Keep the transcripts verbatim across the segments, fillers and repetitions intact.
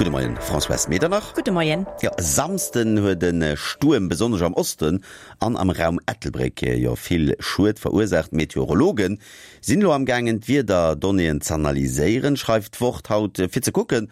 Gudde Moien, Françoise Medernach. Gudde Moien. Jo, e Samsden huet e Stuerm besonnesch am Osten an am Raum Ettelbréck jo vill Schued verursaacht. D'Meteorologe sinn elo amgaangen d'Wiederdonnéeën z'analyséieren, schreift d'Wort haut, fir ze kucken,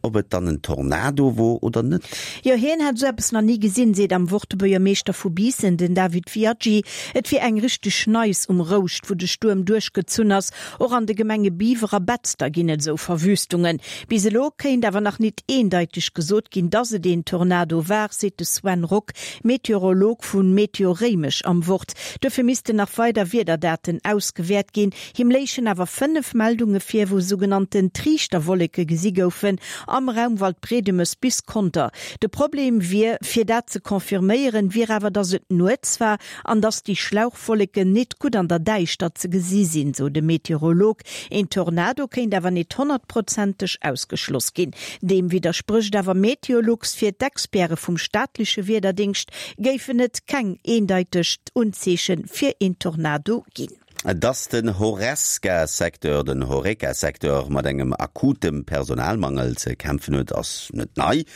ob et dann en Tornado wor oder net. Jo, hien hätt esou eppes nach ni gesinn, seet am Wort de Buergermeeschter vu Biissen, den David Viaggi. Et wier eng richteg Neis um Rouscht, wou de Stuerm duerchgezunn ass. Och an de Gemenge Biwer a Betzder ginn et esou Verwüstungen. Bis elo kéint awer nach nit eendeiteg gesot ginn, dass et een Tornado war, seet de Sven Rock, Meteorolog vu Meteo Réimech am Wort. Dofir missten nach weider Wiederdaten ausgewäert ginn. Him léichen awer fënnef Meldunge vir, wou sougenannten Triichterwolleke gesi goufen am Raum Waldbriedemes bis Conter. De Problem wier, fir dat ze confirméieren, wier awer, dass et nuets war an dass déi Schlauchwolleken nit gutt an der Däischtert ze gesi sinn, sou de Meteorolog. Een Tornado kéint awer nit honnertprozenteg ausgeschloss ginn. Deem widdersprécht awer Meteolux. Fir d'Experte vum staatleche Wiederdéngscht géifen et keng eendeiteg Unzeeche fir een Tornado ginn. Dass den Horesca-Secteur, den Horeca-Secteur mat engem akutem Personalmangel ze kämpfen huet, ass net nei.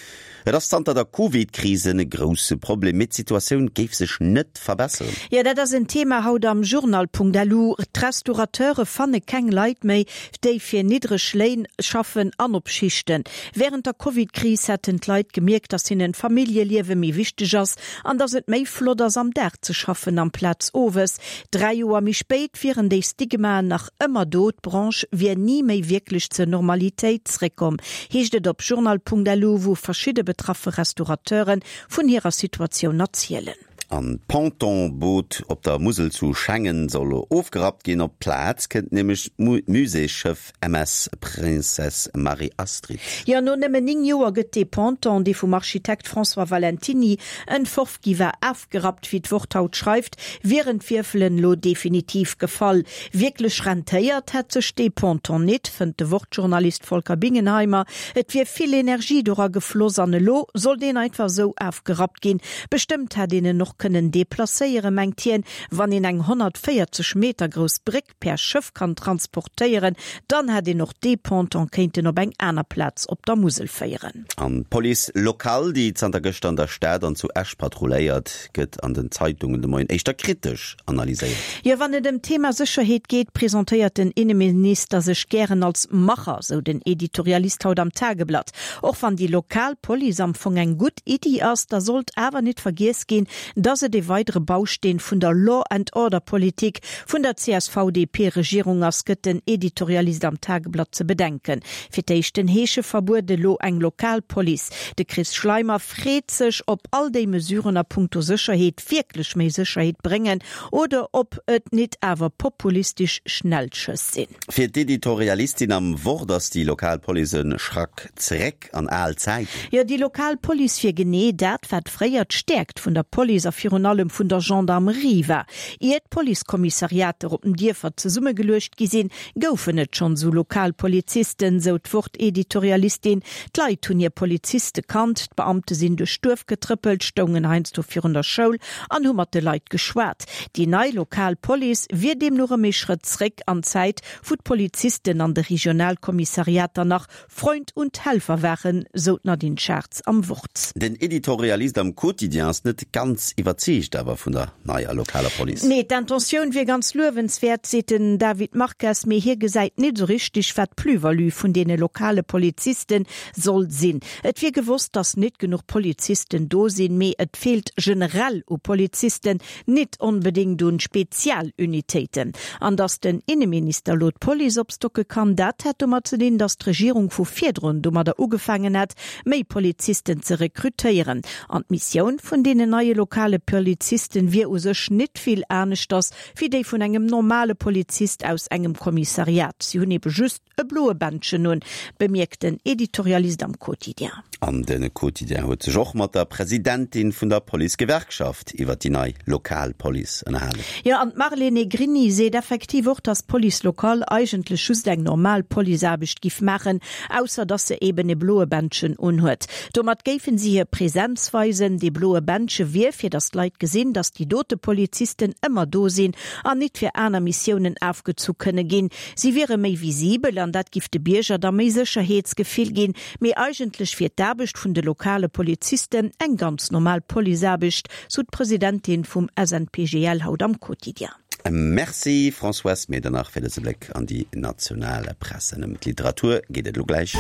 Et ass zanter der Covid-Kris e grousse Problem, mee d'Situatioun géif sech net verbesseren. Jo, dat ass en Thema haut am Journal.lu. D'Restaurateure fanne keng Leit méi, déi fir niddreg Léin schaffen an op Schichten. Wärend der Covid-Kris hätten d'Leit gemierkt, dass hinnen d'Familljeliewe méi wichteg ass an dass et méi flott ass, am Dag ze schaffen amplaz owes. Dräi Joer méi spéit wieren déi Stigmaen nach ëmmer do, d'Branche wier ni méi wierklech zur Normalitéit zréckkomm, heescht et op journal.lu, wou verschidde betraffe Restaurateure vun hirer Situatioun erzielen. An d'Ponton-Boot op der Musel zu Schengen soll elo ofgerappt ginn. Op d'Plaz kënnt nämlech d'Muséesschëff M S Princesse Marie-Astrid. Jo, no nëmmen néng Joer gëtt dee Ponton, dee vum Architekt François Valentiny entworf gi war, afgerappt. Wéi d'Wort haut schreift, wieren d'Wierfelen elo definitiv gefall. Wierklech rentéiert hätt sech dee Ponton nit, fënnt de Wort-Journalist Volker Bingenheimer. Et wier vill Energie dora gefloss an elo soll deen einfach esou afgerappt ginn. Bestëmmt hätt een en och kënnen deplacéieren, mengt hien. Wann een eng honnertvéierzeg Meter grouss Bréck per Schëff kann transportéieren, dann hätt een och dee Ponton kéinten op eng aner Plaz op der Musel féieren. An d'Police locale, déi zanter gëschter an der Stad an zu Esch patrulléiert, gëtt an den Zeitungen de Moien éischter kritesch analyséiert. Jo, wann et ëm d'Thema Sécherheet geet, presentéiert den Inneminister sech gären als Macher, sou den Editorialist haut am Tageblatt. Och wann déi lokal Police am Fong eng gutt Iddi ass, da sollt awer nit vergiess ginn, dass et ee weidere Bausteen vun der Law and Order Politik vun der C S V D P Regierung ass, gëtt den Editorialist am Tageblatt ze bedenken. Fir d'éischt den Heescheverbuet, elo eng lokal Police. De Chris Schleimer freet sech, ob all déi Mesuren a punkto Sécherheet wierklech méi Sécherheet bréngen oder ob et nit awer populistesch Schnellschëss sinn. Fir d'Editorialistin am Wort ass déi lokal Police e Schrack zeréck an al Zäiten. Jo, déi lokal Police wier genee dat, wat fréier d'Stäerkt vun der Police a virun allem vun der Gendarmerie war. Ier d'Policekommissariater op den Dierfer zesummegeluecht gi sinn, goufen et schonn esou lokal Polizisten, sou d'Wort-Editorialistin. D'Leit hunn hir Poliziste kannt, d'Beamte sinn duerch d'Duerf getrëppelt, stoungen heiansdo virun der Schoul an hu mat de Leit geschwat. Déi nei lokal Police wier deemno erëm ee Schrëtt zréck an d'Zäit, wou d'Polizisten an de Regionalkommissariater nach Freund und Helfer waren, sou d'Nadine Schartz am Wort. Den Editorialist am Quotidien ass net ganz iwwerzeegt awer vun der neier lokaler Police. Nee, d'Intentioun wier ganz luewenswäert, seet den David Marques, mee hie gesäit net esou richteg, wat d'Plus-value vun deene lokale Poliziste soll sinn. Et wier gewosst, datt net genuch Polizisten do sinn, mee et feelt generell u Polizisten, net onbedéngt un Spezialunitéiten. An datt den Inneminister elo d'Police opstocke kann, dat hätt domat ze dinn, datt d'Regierung vu virdrun domadder ugefaangen hätt, méi Polizisten ze rekrutéieren. An d'Missioun vun deenen neie lokale Polizisten wier u sech nit vill aneschters wéi déi vun engem normale Polizist aus engem Kommissariat, si hunn ebe just e bloe Bändchen un, bemierkt den Editorialist am Quotidien. An de Quotidien huet sech och mat der Presidentin vun der Policegewerkschaft iwwer déi nei lokal Police ënnerhalen. Jo, an d'Marlene Negrini seet effektiv och, dass d'Police locale eigentlech just eng normal Policeaarbecht giff maachen, ausser dass se eben e bloe Bändchen unhuet. Domat géifen si hir Präsenz weisen. Dee bloe Bändche wier, fir dass datt d'Leit gesinn, datt déi dote Polizisten ëmmer do sinn an nit fir aner Missiounen afgezu kënne ginn. Si wiere méi visibel an dat giff de Bierger da méi Sécherheetsgefill ginn. Mee eigentlech wier d'Aarbecht vun de lokale Polizisten eng ganz normal Policeaarbecht, sou d'Presidentin vum SNPGL haut am Quotidien. Merci Françoise Medernach fir dëse Bléck an déi national Presse. Ëm d'Literatur geet et elo gläich.